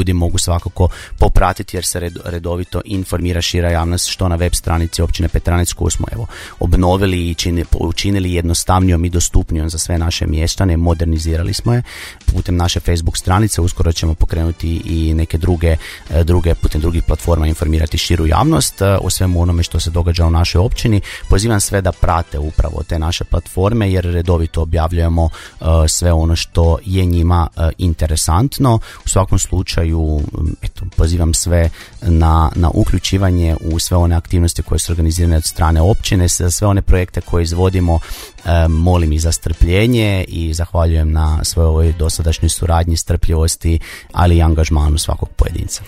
ljudi mogu svakako popratiti jer se redovito informira šira javnost što na web stranici općine Petranec koju smo obnovili i učinili jednostavnijom i dostupnijom za sve naše mještane, modernizirali smo je putem naše Facebook stranice, uskoro ćemo pokrenuti i neke druge putem drugih platforma informirati širu javnost o svemu onome što se događa u našoj općini. Pozivam sve da prate upravo te naše platforme jer redovito objavljujemo sve ono što je njima interesantno. U svakom slučaju pozivam sve na uključivanje u sve one aktivnosti koje su organizirane od strane općine, za sve one projekte koje izvodimo. Molim i za strpljenje i zahvaljujem na svojoj ovoj dosadašnjoj suradnji, strpljivosti, ali i angažmanu svakog pojedinca.